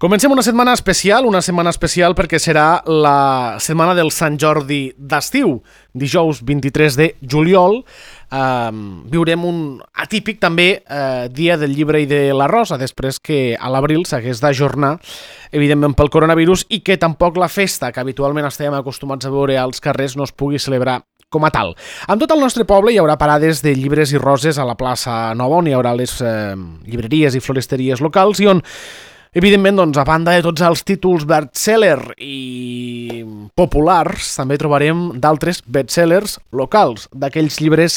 Comencem una setmana especial perquè serà la setmana del Sant Jordi d'estiu. Dijous 23 de juliol viurem un atípic també dia del llibre i de la rosa, després que a l'abril s'hagués d'ajornar, evidentment pel coronavirus, i que tampoc la festa que habitualment estem acostumats a veure als carrers no es pugui celebrar com a tal. En tot el nostre poble hi haurà parades de llibres i roses a la plaça Nova, on hi haurà les llibreries i floristeries locals i on, evidentment, doncs, a banda de tots els títols bestseller i populars, també trobarem d'altres bestsellers locals, d'aquells llibres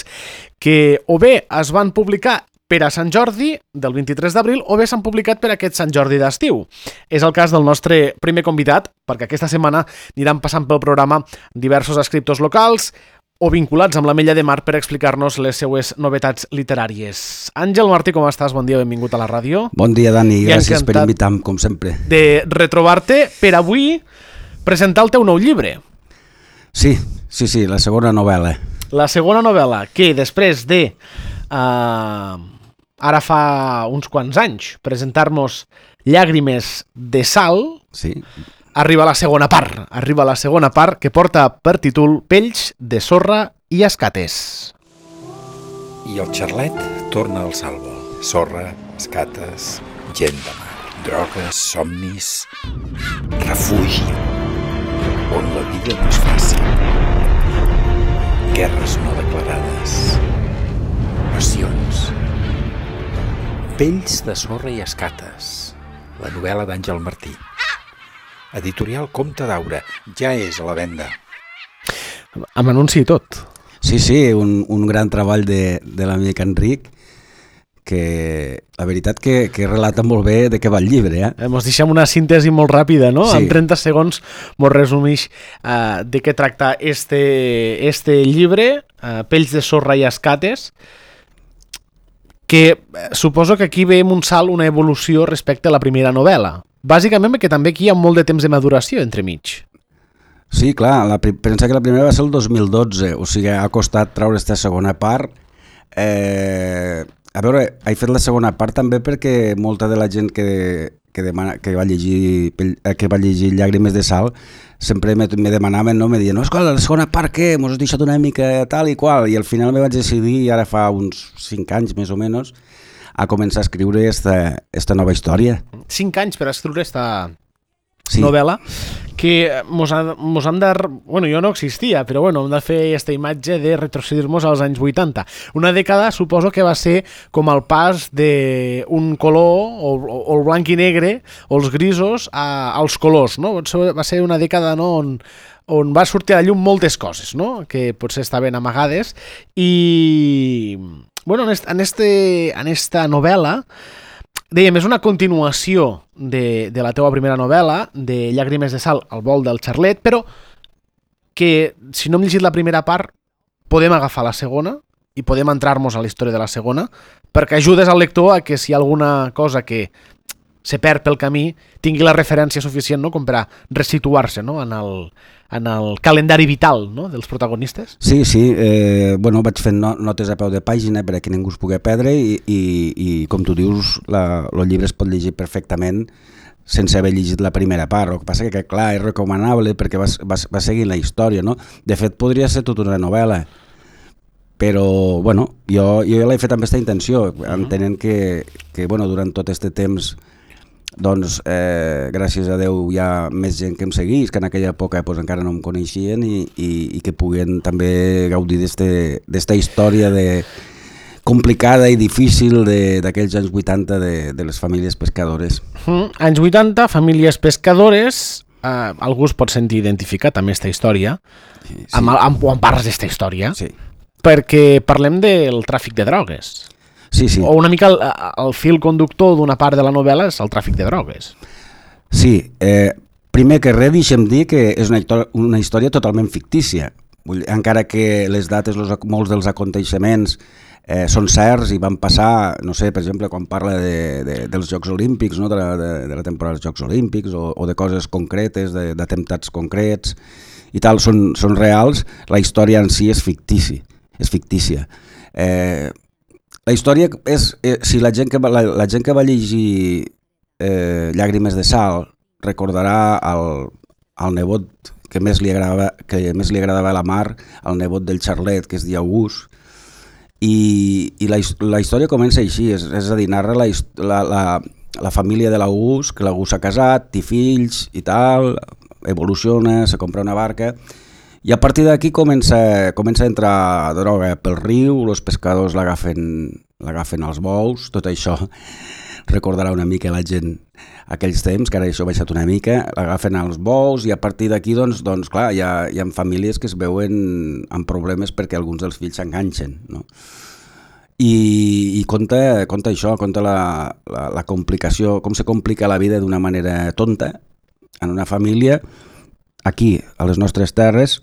que o bé es van publicar per a Sant Jordi del 23 d'abril o bé s'han publicat per a aquest Sant Jordi d'estiu. És el cas del nostre primer convidat, perquè aquesta setmana aniran passant pel programa diversos escriptors locals o vinculats amb l'Ametlla de Mar per explicar-nos les seues novetats literàries. Àngel Martí, com estàs? Bon dia, benvingut a la ràdio. Bon dia, Dani, gràcies per invitar-me, com sempre. De retrobar-te per avui presentar el teu nou llibre. Sí, la segona novel·la. La segona novel·la, que després de, ara fa uns quants anys, presentar-nos Llàgrimes de Sal, sí, arriba la segona part que porta per títol Pells de sorra i escates. I el xarlet torna al salvo. Sorra, escates, gent de mar, drogues, somnis, refugi, on la vida no és fàcil. Guerres no declarades, passions. Pells de sorra i escates, la novel·la d'Àngel Martí. Editorial Comte d'Aura, ja és a la venda. Amb anunci i tot. Sí, un gran treball de l'amic Enric, que la veritat que relata molt bé de què va el llibre. Ens deixem una síntesi molt ràpida, no? Sí. En 30 segons ens resumeix de què tracta este llibre, Pells de sorra i escates, que suposo que aquí veiem un salt, una evolució respecte a la primera novel·la. Bàsicament perquè també aquí hi ha molt de temps de maduració entremig. Sí, clar, pensa que la primera va ser el 2012, o sigui, ha costat treure aquesta segona part. A veure, he fet la segona part també perquè molta de la gent que va llegir Llàgrimes de Sal sempre me demanaven, no? Me deien, no, escolta, la segona part què? Mos has deixat una mica tal i qual, i al final me vaig decidir, ara fa uns 5 anys més o menys, a començar a escriure esta nova història. 5 anys per escriure esta novel·la, que mos han de... Bueno, jo no existia, però bueno, hem de fer aquesta imatge de retrocedir-nos als anys 80. Una dècada suposo que va ser com el pas d'un color, o el blanc i negre, o els grisos, als colors, no? Va ser una dècada, no?, on va sortir a la llum moltes coses, no?, que potser estaven amagades, i... Bueno, en esta novel·la, dèiem, és una continuació de la teua primera novel·la, de Llàgrimes de Sal, El vol del xarlet, però que, si no hem llegit la primera part, podem agafar la segona i podem entrar-nos a la història de la segona, perquè ajudes al lector a que si hi ha alguna cosa que se perd pel camí, tingui la referència suficient, no?, com per a resituar-se, no?, en el calendari vital, no?, dels protagonistes. Sí, bueno, vaig fent notes a peu de pàgina per a que ningú es pugui perdre i com tu dius, el llibre es pot llegir perfectament sense haver llegit la primera part. El que passa que, clar, és recomanable perquè va seguint la història, no? De fet, podria ser tota una novel·la, però, bueno, jo l'he fet amb aquesta intenció, entenent que bueno, durant tot aquest temps, doncs, gràcies a Déu hi ha més gent que em seguís, que en aquella època pues, encara no em coneixien i que puguen també gaudir d'esta història complicada i difícil d'aquells anys 80 de les famílies pescadores. Anys 80, famílies pescadores, algú es pot sentir identificat amb aquesta història, sí. Quan parles d'esta història, sí. Perquè parlem del tràfic de drogues. Sí. O una mica el fil conductor d'una part de la novel·la és el tràfic de drogues. Sí, primer que res deixem dir que és una història totalment fictícia, encara que les dates, molts dels aconteixements són certs i van passar, no sé, per exemple, quan parla dels Jocs Olímpics, no? de la temporada dels Jocs Olímpics o de coses concretes, d'atemptats concrets i tal, són reals, la història en si és fictícia. La història és, si la gent que va llegir Llàgrimes de sal recordarà al nebot que més li agradava a la Mar, el nebot del Charlet, que es diu August, i la història comença així, és a dir, narra la família de l'August, que l'August s'ha casat, té fills i tal, evoluciona, se compra una barca, i a partir d'aquí comença a entrar droga pel riu, els pescadors l'agafen als bous, tot això recordarà una mica la gent aquells temps, que ara això ha baixat una mica, l'agafen als bous i a partir d'aquí doncs clar, hi ha famílies que es veuen amb problemes perquè alguns dels fills s'enganxen, no? I conta això, conta la complicació, com se complica la vida d'una manera tonta en una família aquí, a les nostres terres.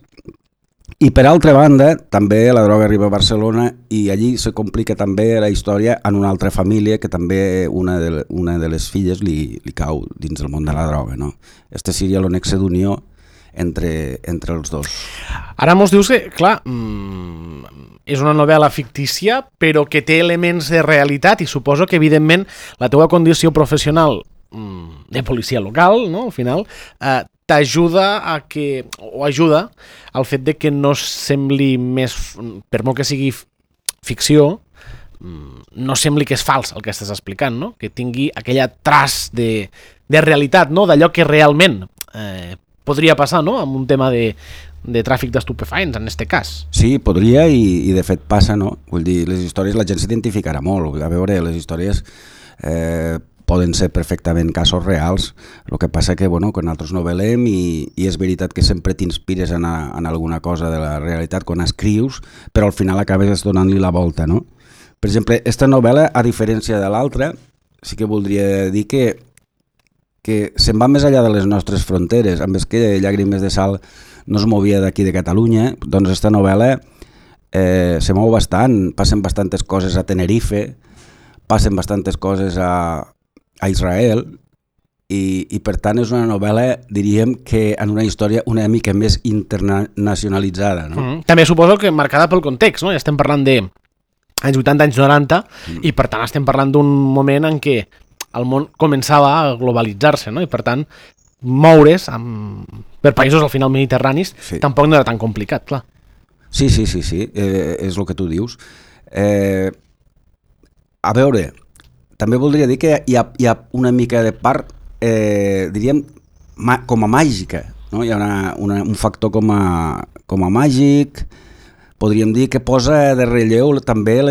I per altra banda, també la droga arriba a Barcelona i allí se complica també la història en una altra família que també una de les filles li cau dins del món de la droga, no? Este seria el nexe d'unió entre els dos. Ara mos dius que, clar, és una novel·la fictícia, però que té elements de realitat i suposo que, evidentment, la teua condició professional de policia local, no?, al final, t'ajuda ajuda al fet de que no sembli més, per molt que sigui ficció, no sembli que és fals el que estàs explicant, no? Que tingui aquella traç de realitat, no? D'allò que realment podria passar, no?, amb un tema de tràfic d'estupefaents, en aquest cas. Sí, podria i de fet passa, no? Vull dir, les històries la gent s'identificarà molt. A veure, les històries poden ser perfectament casos reals, el que passa que, bueno, quan nosaltres novel·lem i és veritat que sempre t'inspires en alguna cosa de la realitat quan escrius, però al final acabes donant-li la volta, no? Per exemple, aquesta novel·la, a diferència de l'altra, sí que voldria dir que se'n va més enllà de les nostres fronteres, amb és que Llàgrimes de sal no es movia d'aquí de Catalunya, doncs aquesta novel·la se mou bastant, passen bastantes coses a Tenerife, passen bastantes coses a Israel i per tant és una novel·la, diríem, que en una història una mica més internacionalitzada, no? També suposo que marcada pel context, no? Ja estem parlant de anys 80, anys 90 i per tant estem parlant d'un moment en què el món començava a globalitzar-se, no? I per tant moure's per països al final mediterranis tampoc no era tan complicat, clar. Sí, és el que tu dius. A veure, també voldria dir que hi ha una mica de part, diríem, com a màgica, no? Hi ha un factor com a màgic, podríem dir que posa de relleu també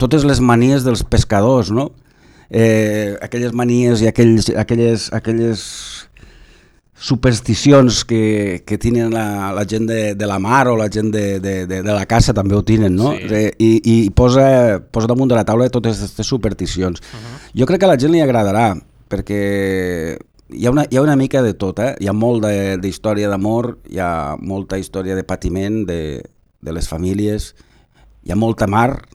totes les manies dels pescadors, no? Aquelles manies i aquelles supersticions que tenen la gent de la mar o la gent de la caça també ho tenen, no? Sí. I posa damunt de la taula totes aquestes supersticions. Jo crec que a la gent li agradarà, perquè hi ha una mica de tot, hi ha molt d'història d'amor, hi ha molta història de patiment de les famílies, hi ha molta mar,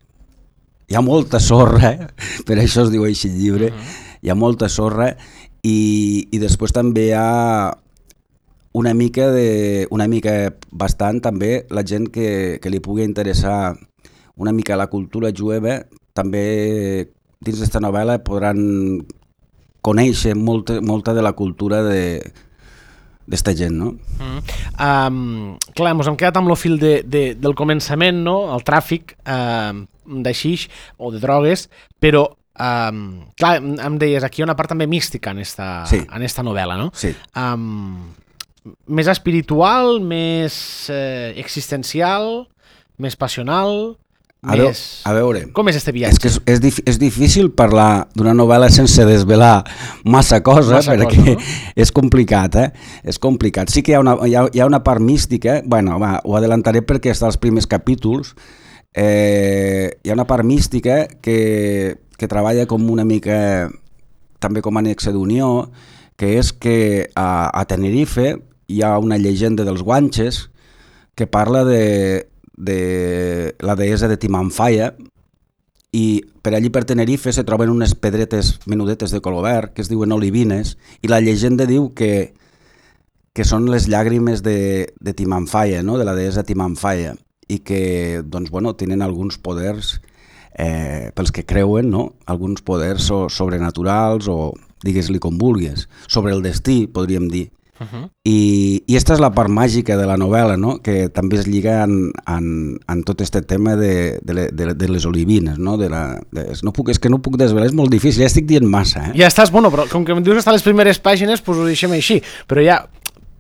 hi ha molta sorra, per això es diu així el llibre, hi ha molta sorra, i després també hi ha una mica bastant també la gent que li pugui interessar una mica la cultura jueva, també dins d'esta novel·la podran conèixer molta de la cultura d'esta gent, no? Clar, ens hem quedat amb el fil del començament, no? El tràfic de xix o de drogues, però clar, em deies, aquí hi ha una part també mística en esta novel·la, no? Sí. Més espiritual, més existencial, més passional, a veure, com és este viatge? És difícil parlar d'una novel·la sense desvelar massa cosa, perquè no? És complicat, És complicat. Sí que hi ha una part mística, bueno, ho adelantaré perquè està als primers capítols. Hi ha una part mística que treballa com una mica també com a nexe d'unió, que és que a Tenerife hi ha una llegenda dels guanxes que parla de la deessa de Timanfaya, i per allí per Tenerife se troben unes pedretes menudetes de color verd que es diuen olivines, i la llegenda diu que són les llàgrimes de Timanfaya, no? De la deessa Timanfaya, i que doncs, bueno, tenen alguns poders pels que creuen, no? Alguns poders sobrenaturals o digues-li com vulguis, sobre el destí, podríem dir. I esta és la part màgica de la novel·la, no? Que també es lliga en tot este tema de les olivines, no? És que no puc desvelar, és molt difícil, ja estic dient massa. Ja estàs, bueno, però com que em dius que està a les primeres pàgines, doncs ho deixem així, però ja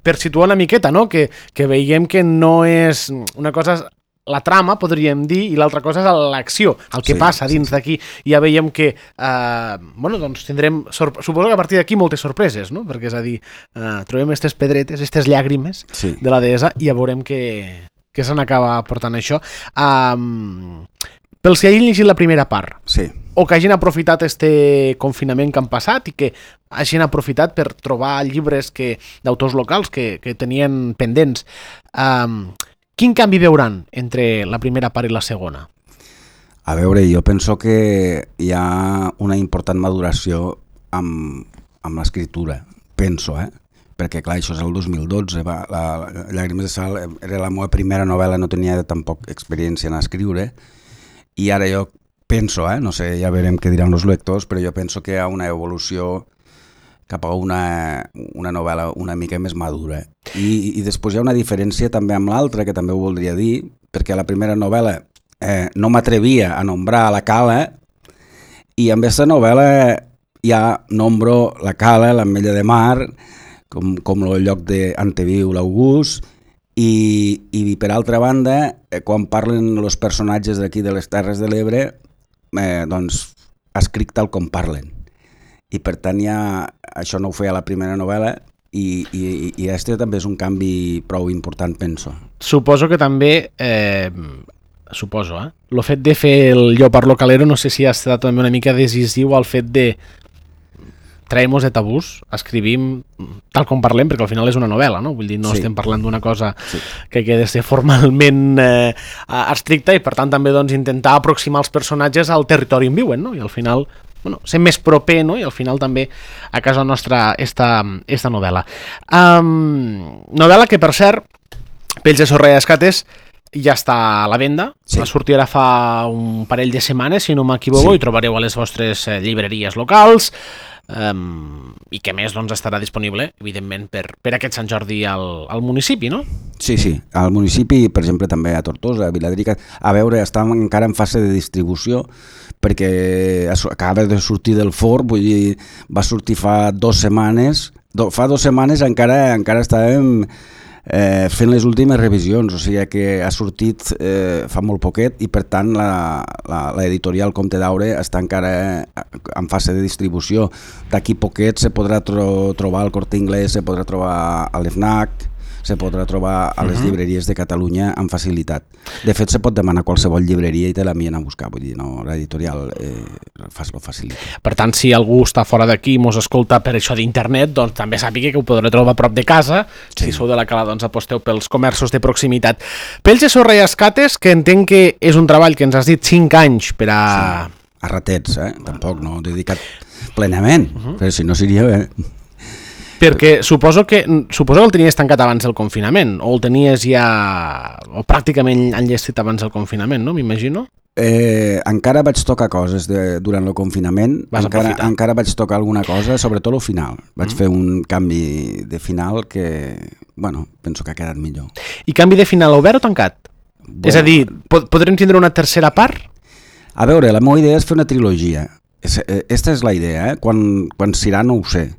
per situar una miqueta, no? Que veiem que no és una cosa... la trama, podríem dir, i l'altra cosa és l'acció, el que passa dins d'aquí. Ja veiem que, bueno, doncs tindrem, suposo que a partir d'aquí moltes sorpreses, no? Perquè és a dir, trobem aquestes pedretes, aquestes llàgrimes de la deessa i ja veurem que se n'acaba portant això. Pels que hagin llegit la primera part, o que hagin aprofitat este confinament que han passat i que hagin aprofitat per trobar llibres d'autors locals que tenien pendents, quin canvi veuran entre la primera part i la segona? A veure, jo penso que hi ha una important maduració amb l'escriptura, penso, perquè clar, això és el 2012, Llàgrimes de Sal era la meva primera novel·la, no tenia tampoc experiència en escriure, i ara jo penso, no sé, ja veurem què diran els lectors, però jo penso que hi ha una evolució cap a una novel·la una mica més madura. I després hi ha una diferència també amb l'altra, que també ho voldria dir, perquè a la primera novel·la no m'atrevia a nombrar la Cala, i amb aquesta novel·la ja nombro la Cala, l'Ametlla de Mar, com el lloc d'on viu l'August, i per altra banda, quan parlen els personatges d'aquí de les Terres de l'Ebre, doncs escric tal com parlen. I per tant això no ho feia a la primera novel·la i este també és un canvi prou important, penso. Suposo que també, el fet de fer el Lleopard Localero no sé si ha estat també una mica decisiu al fet de traiem-nos de tabús, escrivim tal com parlem, perquè al final és una novel·la, no? Vull dir, no estem parlant d'una cosa que ha de ser formalment estricta i per tant també doncs, intentar aproximar els personatges al territori on viuen, no? I al final ser més proper, no? I al final també a casa nostra esta novel·la. Novel·la que, per cert, Pells de sorra i escates ja està a la venda, va sortir ara fa un parell de setmanes, si no m'equivoco, i trobareu a les vostres llibreries locals, i que més doncs, estarà disponible, evidentment, per aquest Sant Jordi al municipi, no? Sí, al municipi, per exemple, també a Tortosa, a Viladrica. A veure, està encara en fase de distribució, perquè acaba de sortir del forn, vull dir, va sortir fa 2 setmanes, fa 2 setmanes encara estàvem fent les últimes revisions, o sigui que ha sortit fa molt poquet i per tant l'editorial Comte d'Aure està encara en fase de distribució. D'aquí poquet se podrà trobar al Corte Inglés, se podrà trobar a l'FNAC, se podrà trobar a les llibreries de Catalunya amb facilitat. De fet, se pot demanar a qualsevol llibreria i te l'envien a buscar, vull dir, no, l'editorial lo facilita. Per tant, si algú està fora d'aquí i mos escolta per això d'internet, doncs també sàpiga que ho podrà trobar a prop de casa. Si sou de la Cala, doncs aposteu pels comerços de proximitat. Pells de sorra i escates, que entenc que és un treball que ens has dit 5 anys per a... A ratets, tampoc, no, dedicat plenament, però si no seria bé. Perquè suposo que el tenies tancat abans del confinament, o el tenies ja o pràcticament enllestit abans del confinament, no? M'imagino. Encara vaig tocar coses durant el confinament, encara vaig tocar alguna cosa, sobretot el final. Vaig fer un canvi de final que, bueno, penso que ha quedat millor. I canvi de final obert o tancat? Bueno, és a dir, podrem tindre una tercera part? A veure, la meva idea és fer una trilogia. Esta és la idea, quan serà no ho sé.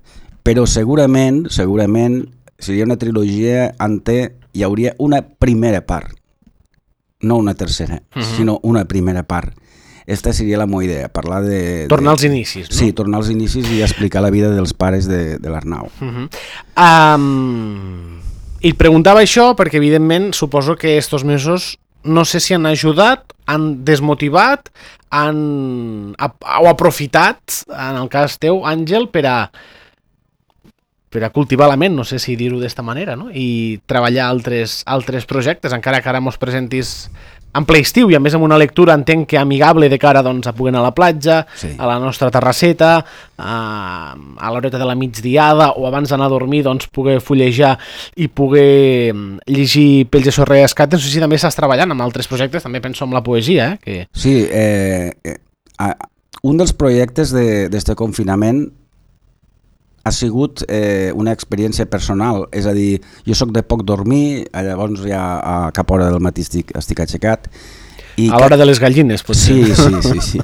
Però segurament seria una trilogia on hi hauria una primera part, no una tercera, sinó una primera part. Esta seria la meva idea, parlar de... Tornar als inicis, no? Sí, tornar als inicis i explicar la vida dels pares de l'Arnau. I et preguntava això perquè, evidentment, suposo que estos mesos no sé si han ajudat, han desmotivat, o aprofitat, en el cas teu, Àngel, per a cultivar la ment, no sé si dir-ho d'esta manera, no? I treballar altres projectes, encara que ara mos presentis en ple estiu i a més amb una lectura entenc que amigable de cara doncs, a poder anar a la platja, a la nostra terrasseta, a l'horeta de la migdiada o abans d'anar a dormir doncs, poder fullejar i poder llegir Pells de sorra i escates. No sé si també estàs treballant amb altres projectes, també penso en la poesia. Que... Sí, un dels projectes d'este confinament ha sigut una experiència personal, és a dir, jo sóc de poc dormir, llavors ja a cap hora del matí estic aixecat. A l'hora de les gallines, potser. Sí.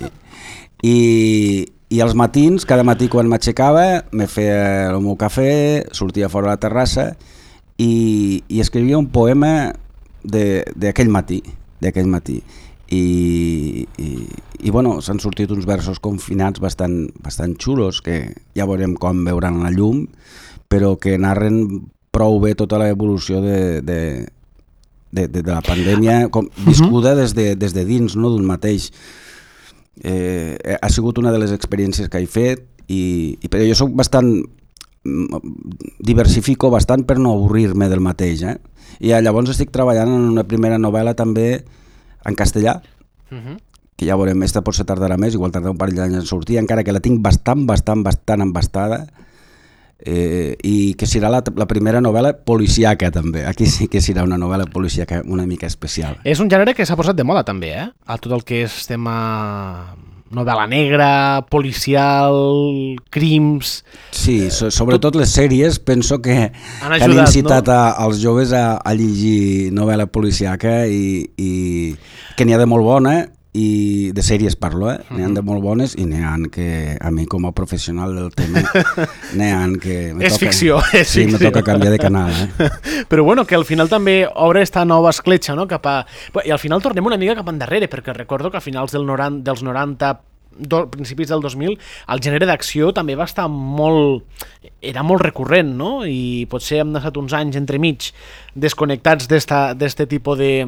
I als matins, cada matí quan m'aixecava, me feia el meu cafè, sortia fora a la terrassa i escrivia un poema d'aquell matí. I bueno, s'han sortit uns versos confinats bastant xulos que ja veurem com veuran la llum, però que narren prou bé tota l'evolució de la pandèmia viscuda des de dins, no, d'un mateix. Ha sigut una de les experiències que he fet però jo soc diversifico bastant per no avorrir-me del mateix, i llavors estic treballant en una primera novel·la també en castellà, que ja veurem, esta potser tardarà més, igual tardarà un parell d'anys en sortir, encara que la tinc bastant embastada, i que serà la primera novel·la policíaca també. Aquí sí que serà una novel·la policíaca una mica especial. És un gènere que s'ha posat de moda també, a tot el que és tema novel·la negra, policial, crims... Sí, sobretot les sèries penso que han incitat als joves a llegir novel·la policíaca i que n'hi ha de molt bona, i de sèries parlo, n'hi ha de molt bones i n'hi ha que a mi com a professional del tema n'hi ha que... És ficció. Sí, me toca canviar de canal. Però bueno, que al final també obre esta nova escletxa, no? I al final tornem una mica cap endarrere, perquè recordo que a finals dels 90, principis del 2000, el gènere d'acció també va estar era molt recurrent, no? I potser hem estat uns anys entremig desconnectats d'este tipus de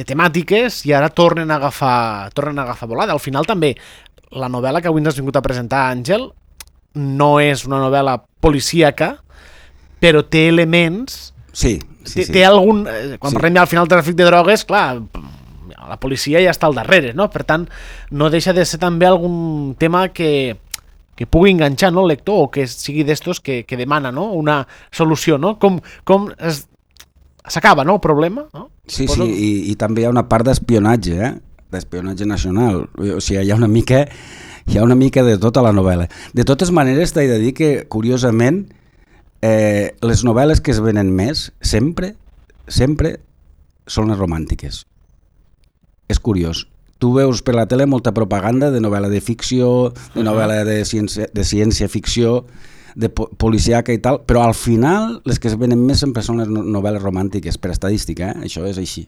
temàtiques i ara tornen a agafar volada. Al final també la novel·la que avui ens has vingut a presentar, Àngel, no és una novel·la policíaca, però té elements... Sí. Té algun... Quan parlem ja al final del tràfic de drogues, clar, la policia ja està al darrere, no? Per tant, no deixa de ser també algun tema que pugui enganxar, no, el lector, o que sigui d'estos que demana, no, una solució, no? Com s'acaba, no, el problema, no? Sí, i també hi ha una part d'espionatge, d'espionatge nacional. O sigui, hi ha una mica de tota la novel·la. De totes maneres, t'he de dir que, curiosament, les novel·les que es venen més, sempre són les romàntiques. És curiós. Tu veus per la tele molta propaganda de novel·la de ficció, de novel·la de ciència-ficció, de policíaca i tal, però al final les que es venen més sempre són les novel·les romàntiques, per estadística, això és així.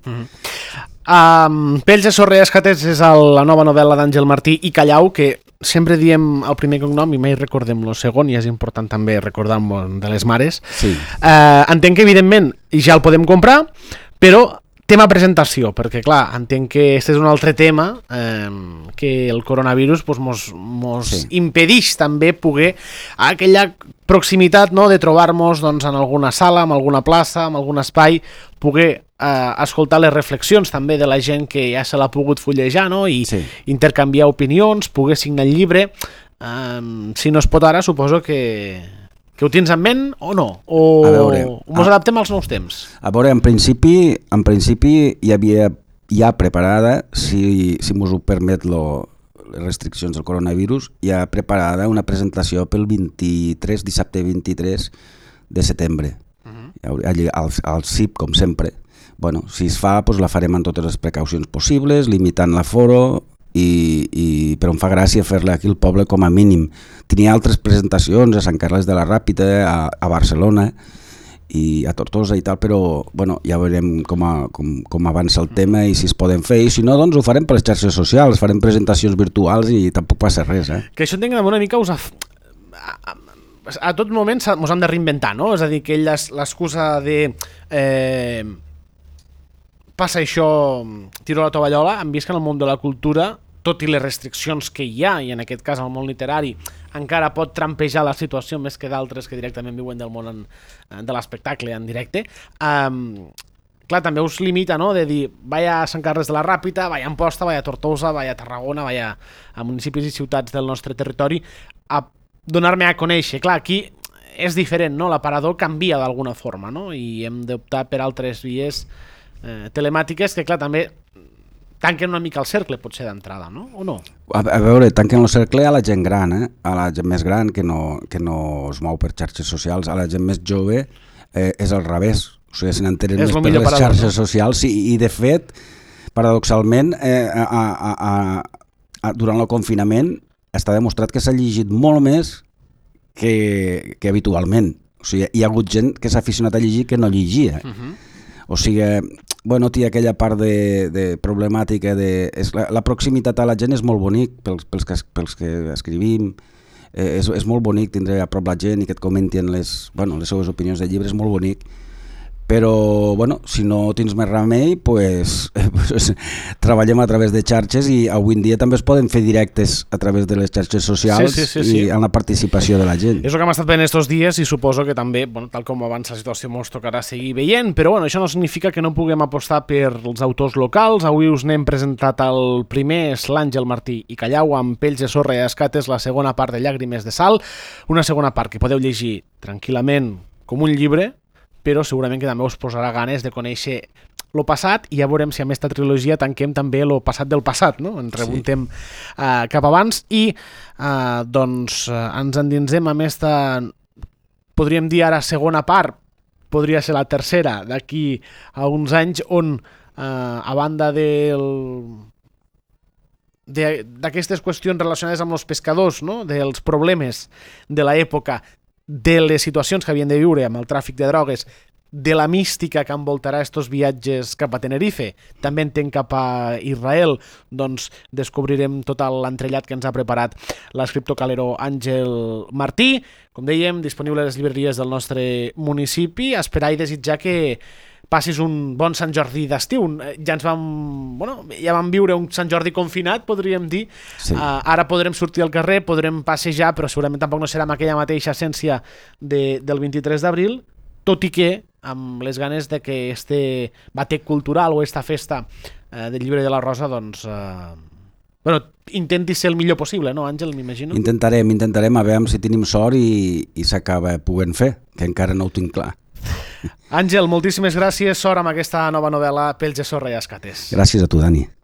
Pells de sorra i escates és la nova novel·la d'Àngel Martí i Callau, que sempre diem el primer cognom i mai recordem el segon, i és important també recordar-ho de les mares. Sí. Entenc que evidentment ja el podem comprar, però tema presentació, perquè clar, entenc que aquest és un altre tema que el coronavirus mos impedeix també poder aquella proximitat, no, de trobar-nos doncs, en alguna sala, en alguna plaça, en algun espai, poder escoltar les reflexions també de la gent que ja se l'ha pogut fullejar, no, i intercanviar opinions, poder signar el llibre. Si no es pot ara, suposo que ho tens en ment o no? O ens adaptem als nous temps? A veure, en principi hi havia ja preparada, si mos ho permet les restriccions del coronavirus, ja preparada una presentació pel dissabte 23 de setembre, al CIP, com sempre. Bueno, si es fa, doncs la farem amb totes les precaucions possibles, limitant l'aforo, però em fa gràcia fer-la aquí al poble com a mínim. Tenia altres presentacions a Sant Carles de la Ràpita, a Barcelona i a Tortosa i tal, però bueno, ja veurem com avança el tema i si es poden fer, i si no, doncs ho farem per les xarxes socials, farem presentacions virtuals i tampoc passa res. Que això entenc que una mica a tot moment ens hem de reinventar, no? És a dir, que l'excusa de passa això, tiro la tovallola, hem vist que en el món de la cultura, tot i les restriccions que hi ha, i en aquest cas el món literari, encara pot trampejar la situació més que d'altres que directament viuen del món de l'espectacle en directe, clar, també us limita, no?, de dir, vaya a Sant Carles de la Ràpita, vaya a Amposta, vaya a Tortosa, vaya a Tarragona, vaya a municipis i ciutats del nostre territori, a donar-me a conèixer. Clar, aquí és diferent, no?, l'aparador canvia d'alguna forma, no?, i hem d'optar per altres vies telemàtiques que, clar, també tanquen una mica el cercle, potser, d'entrada, no? O no? A veure, tanquen el cercle a la gent gran, a la gent més gran que no es mou per xarxes socials, a la gent més jove és al revés, o sigui, se n'entenen més per les xarxes socials, i de fet, paradoxalment, durant el confinament està demostrat que s'ha llegit molt més que habitualment, o sigui, hi ha hagut gent que s'ha aficionat a llegir que no llegia, o sigui, bueno, té aquella part de problemàtica la proximitat a la gent és molt bonic pels que escrivim, és molt bonic tindre a prop la gent i que et comentin les seves opinions de llibres, és molt bonic, però bueno, si no tens més remei, pues treballem a través de xarxes, i avui en dia també es poden fer directes a través de les xarxes socials i amb la participació de la gent. És el que hem estat veient estos dies, i suposo que també, tal com avança la situació, ens tocarà seguir veient, però això no significa que no puguem apostar per els autors locals. Avui us n'hem presentat el primer, és l'Àngel Martí i Callau, amb Pells de sorra i escates, la segona part de Llàgrimes de sal, una segona part que podeu llegir tranquil·lament com un llibre, però segurament que també us posarà ganes de conèixer el passat, i ja veurem si amb aquesta trilogia tanquem també el passat del passat, no? Ens remuntem cap abans, i doncs ens endinsem amb aquesta, podríem dir ara segona part, podria ser la tercera d'aquí a uns anys, on a banda d'aquestes qüestions relacionades amb els pescadors, no?, dels problemes de l'època, de les situacions que havien de viure amb el tràfic de drogues, de la mística que envoltarà estos viatges cap a Tenerife, també entenc cap a Israel, doncs descobrirem tot l'entrellat que ens ha preparat l'escriptor calero Àngel Martí, com dèiem, disponible a les llibreries del nostre municipi. Esperar i desitjar que passis un bon Sant Jordi d'estiu. Ja vam viure un Sant Jordi confinat, podríem dir. Sí. Ara podrem sortir al carrer, podrem passejar, però segurament tampoc no serà amb aquella mateixa essència del 23 d'abril, tot i que amb les ganes de que este batec cultural o esta festa del Llibre de la Rosa, doncs, intenti ser el millor possible, no, Àngel, m'imagino? Intentarem a veure si tenim sort i s'acaba podent fer, que encara no ho tinc clar. Àngel, moltíssimes gràcies, sort amb aquesta nova novel·la Pells de sorra i escates. Gràcies a tu, Dani.